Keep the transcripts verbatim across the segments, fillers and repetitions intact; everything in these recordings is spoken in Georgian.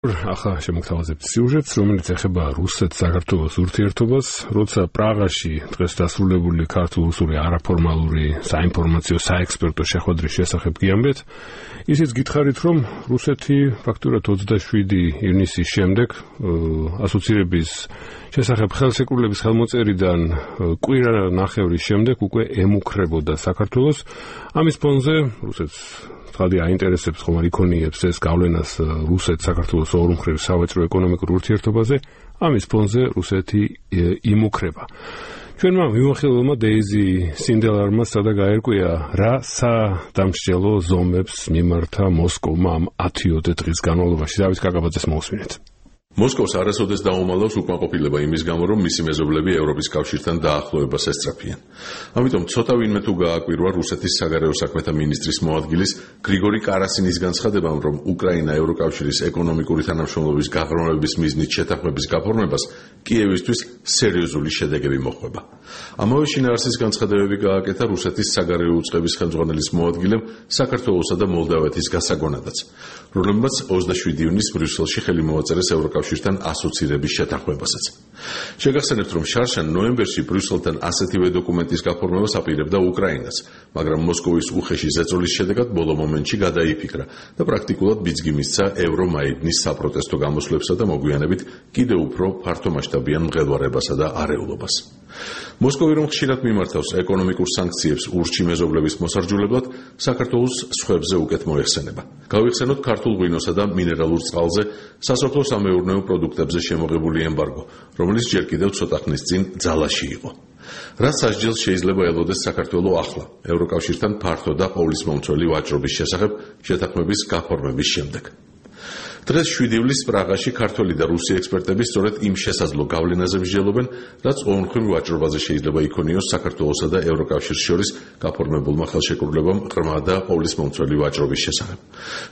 ახლა შემოგთავაზებთ სიუჟეტს, რომელიც ეხება რუსეთ-საქართველოს ურთიერთობას, როცა პრაღაში დღეს დასრულებული ქართულ-რუსული არაფორმალური საინფორმაციო საექსპერტო შეხვედრის შესახებ გიამბეთ, ისიც გითხარით, რომ რუსეთი ფაქტურად ოცდაშვიდი ივნისის შემდეგ ასოცირების შესახებ ხელშეკრულების ხელმოწერიდან კვირა ნახევრის შემდეგ უკვე ემუქრებოდა საქართველოს. ამის ფონზე რუსეთს ხალხი აინტერესებს ხომ არ იქონიებს ეს გავლენას რუსეთ-საქართველოს ორმხრივ სავაჭრო ეკონომიკურ ურთიერთობაზე, ამის ფონზე რუსეთი იმუქრება. ჩვენმა მიმოხილველმა დეიზი სინდელარმა სადა გაერკვია, რა სადამსჯელო ზომებს მიმართა მოსკოვმა ამ ათიოდე დღის განმავლობაში. დავით კაკაბაძეს მოусმინეთ. მოსკოვს არასოდეს დაუმალავს უკმაყოფილება იმის გამო, რომ მისი მეზობლები ევროპის კავშირთან დაახლოებას ესწრაფიან. ამიტომ ცოტა ვინმე თუ გააკვირვა რუსეთის საგარეო საქმეთა მინისტრის მოადგილის გრიგორი კარასინის განცხადებამ, რომ უკრაინა ევროკავშირის ეკონომიკური თანამშრომლობის გაღრმავების მიზნით შეთანხმების გაფორმებას კიევისთვის სერიოზული შედეგები მოჰყვება. ამავე შინაარსის განცხადებები გააკეთა რუსეთის საგარეო უწყების ხელმძღვანელის მოადგილემ საქართველოსა და მოლდავეთის გასაგონადაც, რომლებმაც ოცდაშვიდი ივნისს ბრიუსელში ხელი მოაწერეს ევროკავშირთან ასოცირების შეთანხმებასაც. შეგახსენებთ, რომ შარშან ნოემბერში ბრიუსელთან ასეთივე დოკუმენტის გაფორმებას აპირებდა უკრაინას, მაგრამ მოსკოვის უხეში ზეწოლის შედეგად ბოლო მომენტში გადაიფიქრა და პრაქტიკულად ბიძგი მისცა ევრომაიდნის საპროტესტო გამოსვლებსა და მოგვიანებით კიდევ უფრო ფართომასშტაბიან მღელვარებასა და არეულობას. მოსკოვი რომ ხშირად მიმართავს ეკონომიკურ სანქციებს ურჩი მეზობლების მოსარჯულებლად, საქართველოს სხვებზე უკეთ მოეხსენება. გავიხსენოთ ქართულ ღვინოსა და მინერალურ წყალზე, სასოფლო-სამეურნეო პროდუქტებზე შემოღებული ემბარგო, რომელიც ჯერ კიდევ ცოტა ხნის წინ ძალაში იყო. რაც სასჯელს შეიძლება ელოდეს საქართველოს ახლა, ევროკავშირთან ფართო და ყოვლისმომცველი ვაჭრობის შესახებ შეთანხმების გაფორმების შემდეგ. დღეს შვიდი ივლისს პრაღაში ქართველი და რუსი ექსპერტები სწორედ იმ შესაძლო გავლენაზე მსჯელობენ, რაც ორმხრივ ვაჭრობაზე შეიძლება იქონიოს საქართველოსა და ევროკავშირს შორის გაფორმებულმა ხელშეკრულებამ ღრმა და ყოვლისმომცველი ვაჭრობის შესახებ.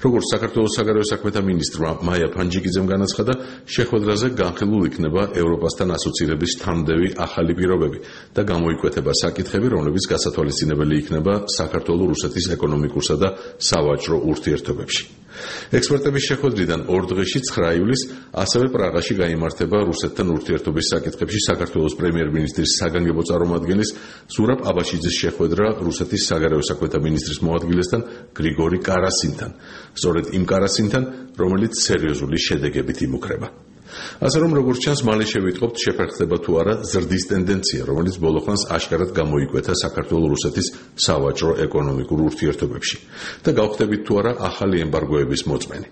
როგორც საქართველოს საგარეო საქმეთა მინისტრმა მაია ფანჯიკიძემ განაცხადა, შეხვედრაზე განხილულ იქნება ევროპასთან ასოცირების თანმდევი ახალი პირობები და გამოიკვეთება საკითხები, რომლებიც გასათვალისწინებელი იქნება საქართველოს-რუსეთის ეკონომიკურსა და სავაჭრო ურთიერთობებში. ექსპერტების შეხვედრიდან ორ დღეში ცხრა ივლისს ასევე პრაღაში გაიმართება რუსეთთან ურთიერთობის საკითხებში საქართველოს პრემიერ-მინისტრის საგანგებო წარმომადგენლის ზურაბ აბაშიძის შეხვედრა რუსეთის საგარეო საქმეთა მინისტრის მოადგილესთან გრიგორი კარასინთან, სწორედ იმ კარასინთან, რომელიც სერიოზული შედეგებით იმუქრება. ასე რომ როგორც ჩანს, მალე შევიტყობთ შეფერხდება თუ არა ზრდის ტენდენცია, რომელიც ბოლოხანს აშკარად გამოიკვეთა საქართველოს-რუსეთის სავაჭრო ეკონომიკურ ურთიერთობებში და გავხდებით თუ არა ახალი ემბარგოების მოწმენი.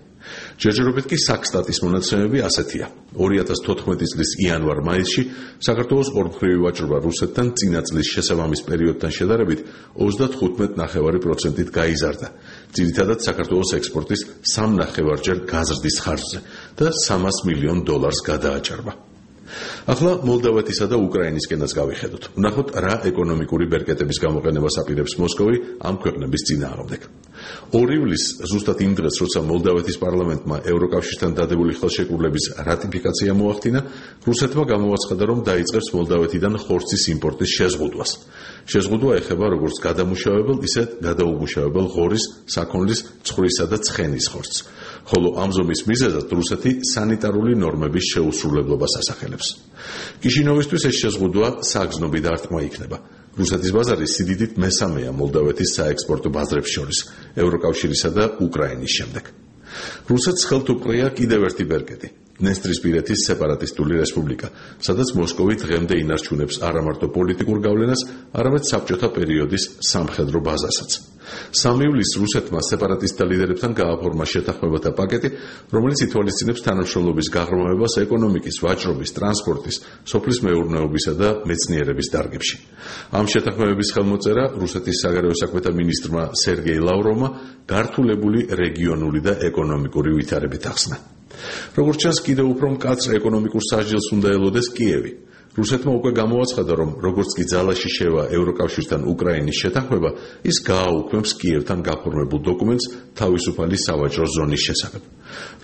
ჯერჯერობით კი საქსტატის მონაცემები ასეთია. ორი ათას თოთხმეტი წლის იანვარ-მაისში საქართველოს ორმხრივი ვაჭრობა რუსეთთან წინა წლის შესაბამის პერიოდთან შედარებით ოცდათხუთმეტ ნახევარი პროცენტით გაიზარდა, ძირითადად საქართველოს ექსპორტის სამ ნახევარჯერ გაზრდის ხარჯზე და სამას მილიონ დოლარს გადააჭარბა. ახლა მოლდავეთისა და უკრაინისკენაც გავიხედოთ. ვნახოთ, რა ეკონომიკური ბერკეტების გამოყენებას აპირებს მოსკოვი ამ ქვეყნების წინააღმდეგ. ორი ივლისს, ზუსტად იმ დღეს, როცა მოლდავეთის პარლამენტმა ევროკავშირთან დადებული ხელშეკრულების რატიფიკაცია მოახდინა, რუსეთმა გამოაცხადა, რომ დაიწყებს მოლდავეთიდან ხორცის იმპორტის შეზღუდვას. შეზღუდვა ეხება როგორც გადამუშავებელ, ისე გადაუმუშავებელ ღორის, საქონლის, ცხვრისა და ცხენის ხორცს. ხოლო ამ ზომის მიზეზად რუსეთი სანიტარული ნორმების შეუსრულებლობას ასახელებს. კიშინოვისთვის ეს შეზღუდვა საგზნობი დარტყმა იქნება. რუსეთის ბაზარი სიდიდით მესამეა მოლდავეთის საექსპორტო ბაზრებს შორის, ევროკავშირისა და უკრაინის შემდეგ. რუსეთს ხელთ უყრია კიდევ ერთი ბერკეტი, დნესტრისპირეთის სეპარატისტული რესპუბლიკა, სადაც მოსკოვი დღემდე ინარჩუნებს არა მარტო პოლიტიკურ გავლენას, არამედ საბჭოთა პერიოდის სამხედრო ბაზასაც. სამი ივლისს რუსეთმა სეპარატისტთა ლიდერებთან გააფორმა შეთანხმებათა პაკეტი, რომელიც ითვალისწინებს თანამშრომლობის გაღრმავებას ეკონომიკის, ვაჭრობის, ტრანსპორტის, სოფლის მეურნეობისა და მეცნიერების დარგებში. ამ შეთანხმებების ხელმოწერა რუსეთის საგარეო საქმეთა მინისტრმა სერგეი ლავროვმა გართულებული რეგიონული და ეკონომიკური ვითარებით ახსნა. როგორც ჩანს, კიდევ უფრო მკაცრ ეკონომიკურ სასჯელს უნდა ელოდეს კიევი. რუსეთმა უკვე გამოაცხადა, რომ როგორც კი ძალაში შევა ევროკავშირთან უკრაინის შეთანხმება, ის გააუქმებს კიევთან გაფორმებულ დოკუმენტს თავისუფალი სავაჭრო ზონის შესახებ.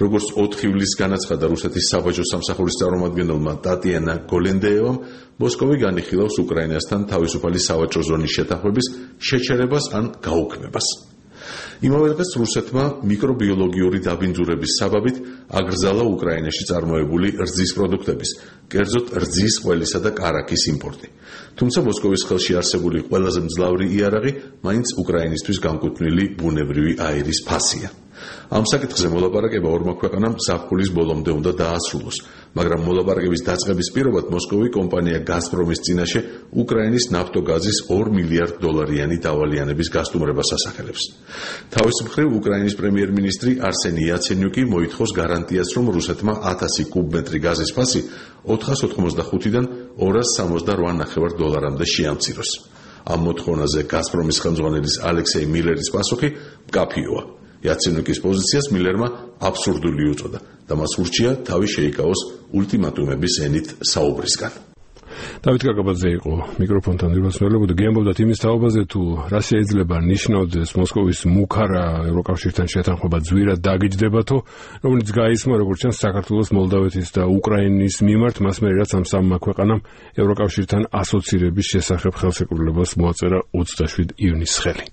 როგორც ოთხი ივლისს განაცხადა რუსეთის საბაჟო სამსახურის წარმომადგენელმა ტატიანა გოლენდეევამ, მოსკოვი განიხილავს უკრაინასთან თავისუფალი სავაჭრო ზონის შეთანხმების შეჩერებას ან გაუქმებას. იმავე დღეს რუსეთმა მიკრობიოლოგიური დაბინძურების საბაბით აკრძალა უკრაინაში წარმოებული რძის პროდუქტების, კერძოდ რძის, ყველისა და კარაქის იმპორტი. თუმცა მოსკოვის ხელში არსებული ყველაზე მძლავრი იარაღი მაინც უკრაინისთვის განკუთვნილი ბუნებრივი აირის ფასია. ამ საკითხზე მოლაპარაკება ორმა ქვეყანამ ზაფხულის ბოლომდე უნდა დაასრულოს, მაგრამ მოლაპარაკების დაწყების პირობად მოსკოვი კომპანია გაზპრომის წინაშე უკრაინის ნავთობგაზის ორ მილიარდ დოლარიანი დავალიანების გასტუმრებას ასახელებს. თავის მხრივ უკრაინის პრემიერ-მინისტრი არსენი იაცენიუკი მოითხოვს გარანტიას, რომ რუსეთმა ათასი კუბმეტრი გაზის ფასი ოთხას ოთხმოცდახუთიდან ორას სამოცდარვა ნახევარ დოლარამდე შეამციროს. ამ მოთხოვნაზე გაზპრომის ხელმძღვანელის ალექსეი მილერის პასუხი მკაფიოა. იაცენიუკის პოზიციას მილერმა აბსურდული უწოდა და მას ურჩია თავი შეიკავოს ულტიმატუმების ენით საუბრისგან. დავით კაკაბაძე იყო მიკროფონთან დირვასმელებოდა გემბობდათ იმის თაობაზე თუ რა შეიძლება ნიშნავდეს მოსკოვის მუქარა ევროკავშირთან შეთანხმება ძვირად დაგიჯდებათო, რომელიც გაისმა როგორც ჩანს საქართველოს, მოლდავეთის და უკრაინის მიმართ, მას მერე რაც ამ სამმა ქვეყანამ ევროკავშირთან ასოცირების შესახებ ხელშეკრულებას მოაწერა ოცდაშვიდი ივნისს ხელი.